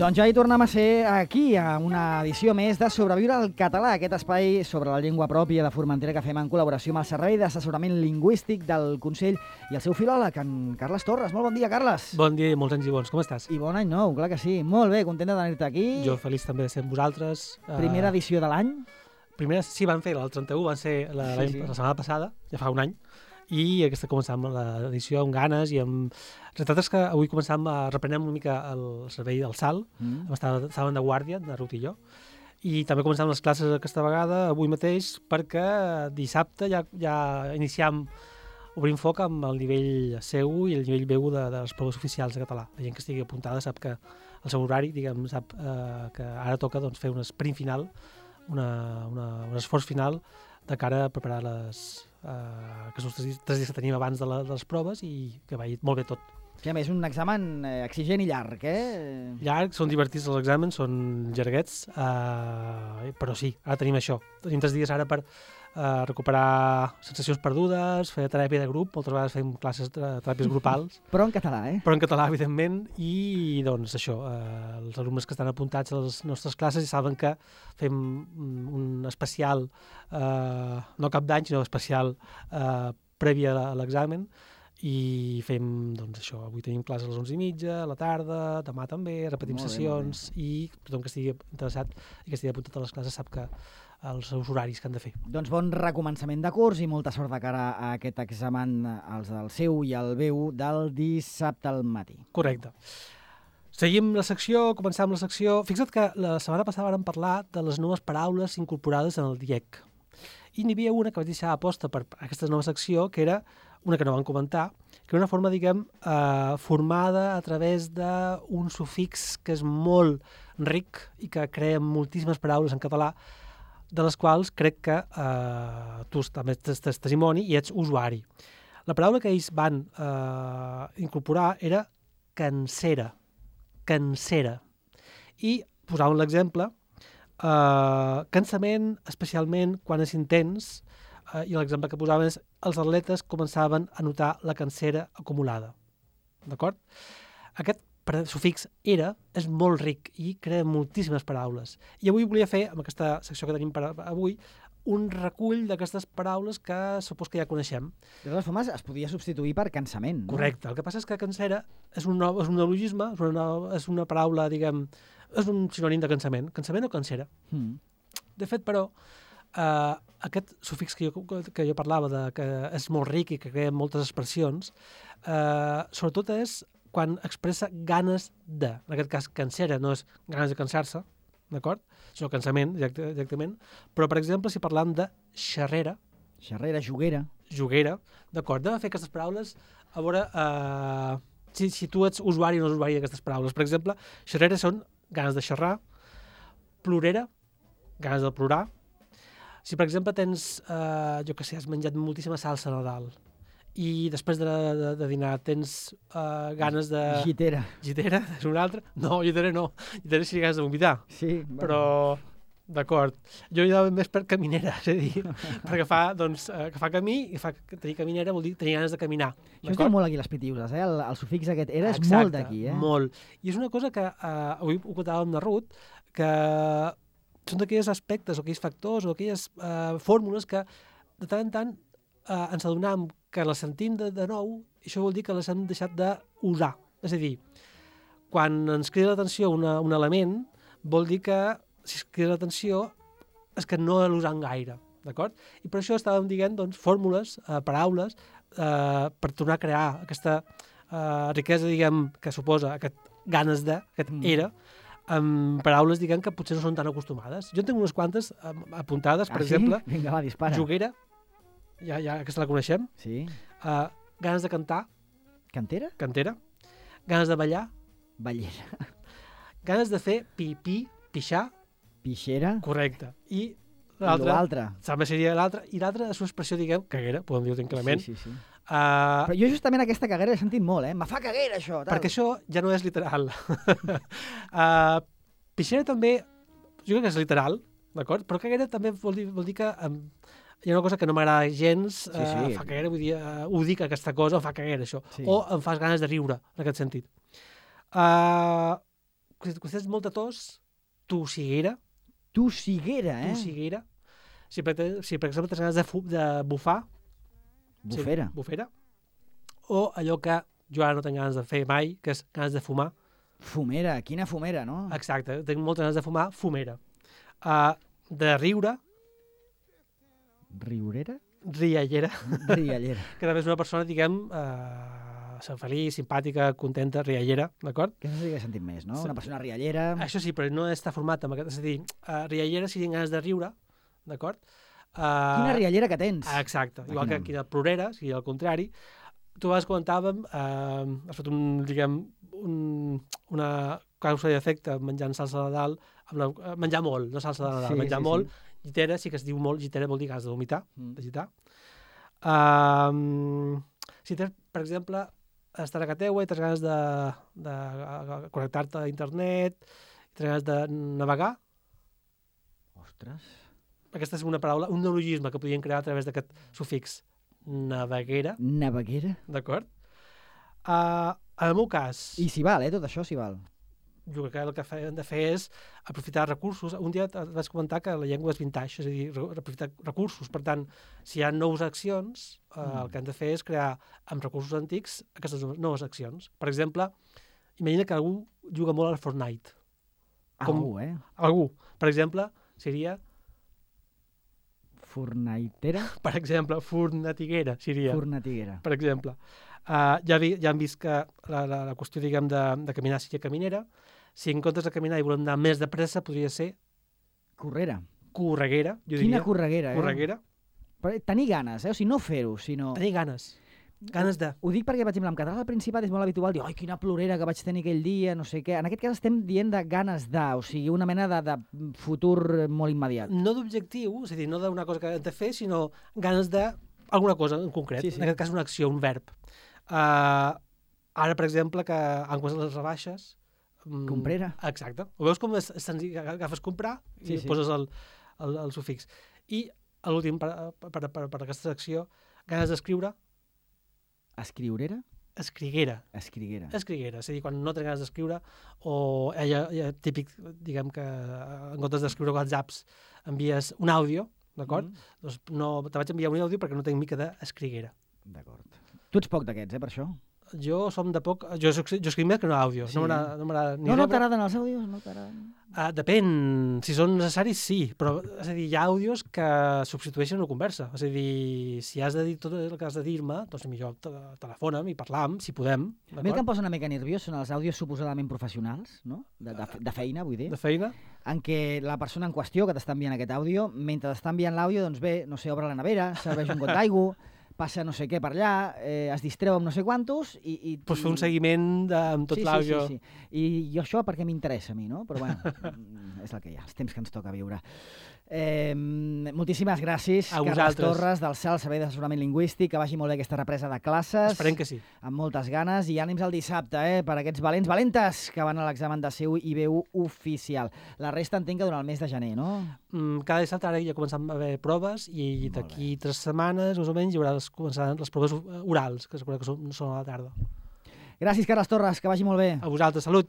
Doncs ja hi tornem a ser aquí, a una edició més de Sobreviure al català, aquest espai sobre la llengua pròpia de Formentera que fem en col·laboració amb el Servei d'Assessorament Lingüístic del Consell i el seu filòleg, en Carles Torres. Molt bon dia, Carles. Bon dia i molts anys i bons. Com estàs? I bon any nou, clar que sí. Molt bé, content de tenir-te aquí. Jo feliç també de ser amb vosaltres. Primera edició de l'any. Primera, sí, van fer, el 31 van ser la setmana passada, ja fa un any, i aquesta començàvem l'edició amb ganes i amb... La veritat és que avui reprenem una mica el servei del SAL, estàvem de guàrdia, de Ruth i jo, i també començàvem les classes aquesta vegada, avui mateix, perquè dissabte ja iniciem, obrim foc amb el nivell C1 i el nivell B1 de les proves oficials de català. La gent que estigui apuntada sap que el seu horari, diguem, sap que ara toca doncs, fer un sprint final, un esforç final de cara a preparar aquests 3 dies que tenim abans de les proves i que vagi molt bé tot. Que a més és un examen exigent i llarg, eh? Llarg, són divertits els exàmens, són llarguets, però sí, ara tenim això. Tenim 3 dies ara per recuperar sensacions perdudes, fer teràpia de grup, moltes vegades fem classes de teràpies grupals. Però en català, eh? Però en català, evidentment, i doncs això, els alumnes que estan apuntats a les nostres classes ja saben que fem un especial, no cap d'any, sinó especial previ a l'examen, i fem, doncs això, avui tenim classes a les 11:30, a la tarda, demà també, repetim sessions, i tothom que estigui interessat i que estigui apuntat a les classes sap que els seus horaris que han de fer. Doncs bon recomençament de curs i molta sort de cara a aquest examen, els del seu i el B1 del dissabte al matí. Correcte. Seguim la secció, començam la secció. Fixa't que la setmana passada vam parlar de les noves paraules incorporades en el DIEC. I n'hi havia una que vaig deixar a posta per aquesta nova secció, que era una que no vam comentar, que era una forma, diguem, formada a través d'un sufix que és molt ric i que crea moltíssimes paraules en català, de les quals crec que tu també ets testimoni i ets usuari. La paraula que ells van incorporar era cansera. Cansera. I posaven l'exemple, cansament, especialment quan és intens, i l'exemple que posaven és els atletes començaven a notar la cansera acumulada. D'acord? Aquest sufix era és molt ric i crea moltíssimes paraules. I avui volia fer, amb aquesta secció que tenim per avui, un recull d'aquestes paraules que supos que ja coneixem. De totes formes, es podia substituir per cansament, no? Correcte. El que passa és que cansera és un neologisme, és una paraula, diguem, és un sinònim de cansament. Cansament o cansera. De fet, però, aquest sufix que jo parlava, que és molt ric i que crea moltes expressions, sobretot és quan expressa ganes de. En aquest cas, cansera no és ganes de cansar-se, d'acord? Sinó cansament, directament. Però, per exemple, si parlam de xerrera... Xerrera, juguera. Juguera, d'acord? Hem de fer aquestes paraules a veure si tu ets usuari o no usuari d'aquestes paraules. Per exemple, xerrera són ganes de xerrar, plorera, ganes de plorar. Si, per exemple, tens, jo què sé, has menjat moltíssima salsa a Nadal i després de dinar tens ganes de... Gitera. Gitera, és una altra? No, gitera no. Gitera sí ganes de vomitar. Sí. Però, d'acord. Jo hi anava més per caminera, és a dir, perquè fa camí i tenir caminera vol dir tenir ganes de caminar. Això es diu molt aquí les pitiuses, eh? El sufix aquest era és molt d'aquí, eh? Molt. I és una cosa que avui ho contàvem amb la Ruth, que són d'aquells aspectes o aquells factors o aquelles fórmules que de tant en tant ens adonam que les sentim de nou i això vol dir que les hem deixat d'usar. És a dir, quan ens crida l'atenció un element, vol dir que si es crida l'atenció és que no l'usam gaire, d'acord? I per això estàvem dient doncs, fórmules, paraules, per tornar a crear aquesta riquesa, diguem, que suposa aquest ganes de, aquest era, amb paraules, diguem, que potser no són tan acostumades. Jo en tinc unes quantes apuntades, per exemple. Vinga, va, dispara. Juguera, ja aquesta la coneixem. Sí. Ganes de cantar. Cantera? Cantera. Ganes de ballar. Ballera. Ganes de fer pipí, pixar. Pixera. Correcte. I l'altre. També seria l'altre. I l'altre és una expressió, diguem, caguera, podem dir-ho tranquil·lament. Sí. Però jo justament aquesta caguera l'he sentit molt, eh? Me fa caguera, això. Tal. Perquè això ja no és literal. Pixera també, jo crec que és literal, d'acord? Però caguera també vol dir que hi ha una cosa que no m'agrada gens, fa caguera, vull dir, ho dic aquesta cosa, fa caguera això, o em fas ganes de riure, en aquest sentit. Si tens molta tos, tossiguera. Tossiguera, eh? Tossiguera. Si per exemple tens ganes de bufar. Bufera. Sí, bufera. O allò que jo ara no tinc ganes de fer mai, que és ganes de fumar. Fumera, quina fumera, no? Exacte, tinc moltes ganes de fumar, fumera. De riure. Riurera? Riallera. Riallera. Que també és una persona, diguem, feliç, simpàtica, contenta, riallera, d'acord? Que no s'hauria sentit més, no? Sí. Una persona riallera... Això sí, però no està format amb aquest... És a dir, riallera si tenen ganes de riure, d'acord? Quina riallera que tens! Exacte, igual que quina plorera, si al contrari. Tu abans comentàvem, has fet una causa i efecte menjant salsa de Nadal, menjar molt, no salsa de Nadal, menjar molt, llitera, sí que es diu molt, llitera vol dir ganes de vomitar, de gitar. Si tens, per exemple, estar a casa teua i tens ganes de connectar-te a internet, i tens ganes de navegar. Ostres. Aquesta és una paraula, un neologisme que podien crear a través d'aquest sufix. Naveguera. Naveguera. D'acord? En el meu cas... I s'hi val, tot això s'hi val. Jo crec que el que hem de fer és aprofitar recursos. Un dia et vaig comentar que la llengua és vintage, és a dir, aprofitar recursos. Per tant, si hi ha noves accions, el que hem de fer és crear amb recursos antics aquestes noves accions. Per exemple, imagina que algú juga molt al Fortnite. Algú. Per exemple, seria... Fornaitera? Per exemple, fornatiguera seria. Fornatiguera. Per exemple. Ja hem vist que la qüestió, diguem, de caminar seria caminera. Si en comptes de caminar i volem anar més de pressa, podria ser... Correra. Correguera, jo diria. Quina correguera, Correguera. Però tenir ganes, o sigui, no fer-ho, sinó... Tenir ganes. Ganes de... Ho dic perquè, per exemple, en català al Principat és molt habitual dir, oi, quina plorera que vaig tenir aquell dia, no sé què. En aquest cas estem dient de ganes de, o sigui, una mena de futur molt immediat. No d'objectiu, és a dir, no d'una cosa que hem de fer, sinó ganes d'alguna cosa en concret. Sí. En aquest cas una acció, un verb. Ara, per exemple, que han començat les rebaixes... Comprera. Exacte. Ho veus com és senzill, agafes comprar i poses el sufix. I l'últim, per aquesta secció, ganes d'escriure... Escriurera? Escriguera. Escriguera. Escriguera, és a dir, quan no tens ganes d'escriure, o típic, diguem que en comptes d'escriure WhatsApps envies un àudio, d'acord? Doncs no, te vaig enviar un àudio perquè no tinc mica d'escriguera. D'acord. Tu ets poc d'aquests, per això? Jo som de poc... Jo escric més que no àudio. Sí. No m'agrada ni no t'agraden els àudios? No t'agraden? Depèn. Si són necessaris, sí. Però, és a dir, hi ha àudios que substitueixen una conversa. És a dir, si has de dir tot el que has de dir-me, doncs millor telefona'm i parlam, si podem. A mi el que em posa una mica nerviós són els àudios suposadament professionals, no? De feina, vull dir. De feina. En què la persona en qüestió que t'està enviant aquest àudio, mentre t'està enviant l'àudio, doncs bé, no sé, obre la nevera, serveix un got d'aigua, passa no sé què per allà, es distreu amb no sé quantos i pues fer un seguiment amb tot l'àudio. Sí. I això perquè m'interessa a mi, no? Però bueno, és el que hi ha, els temps que ens toca viure. Moltíssimes gràcies, Carles Torres, del CEL, Servei d'Assessorament Lingüístic, que vagi molt bé aquesta represa de classes. Esperem que sí. Amb moltes ganes, i ànims el dissabte, per aquests valentes que van a l'examen de seu IB1 oficial. La resta entenc que durant el mes de gener, no? Cada dissabte ara ja comencem a haver proves i d'aquí 3 setmanes, més o menys, hi haurà les proves orals, que són a la tarda. Gràcies, Carles Torres, que vagi molt bé. A vosaltres, salut!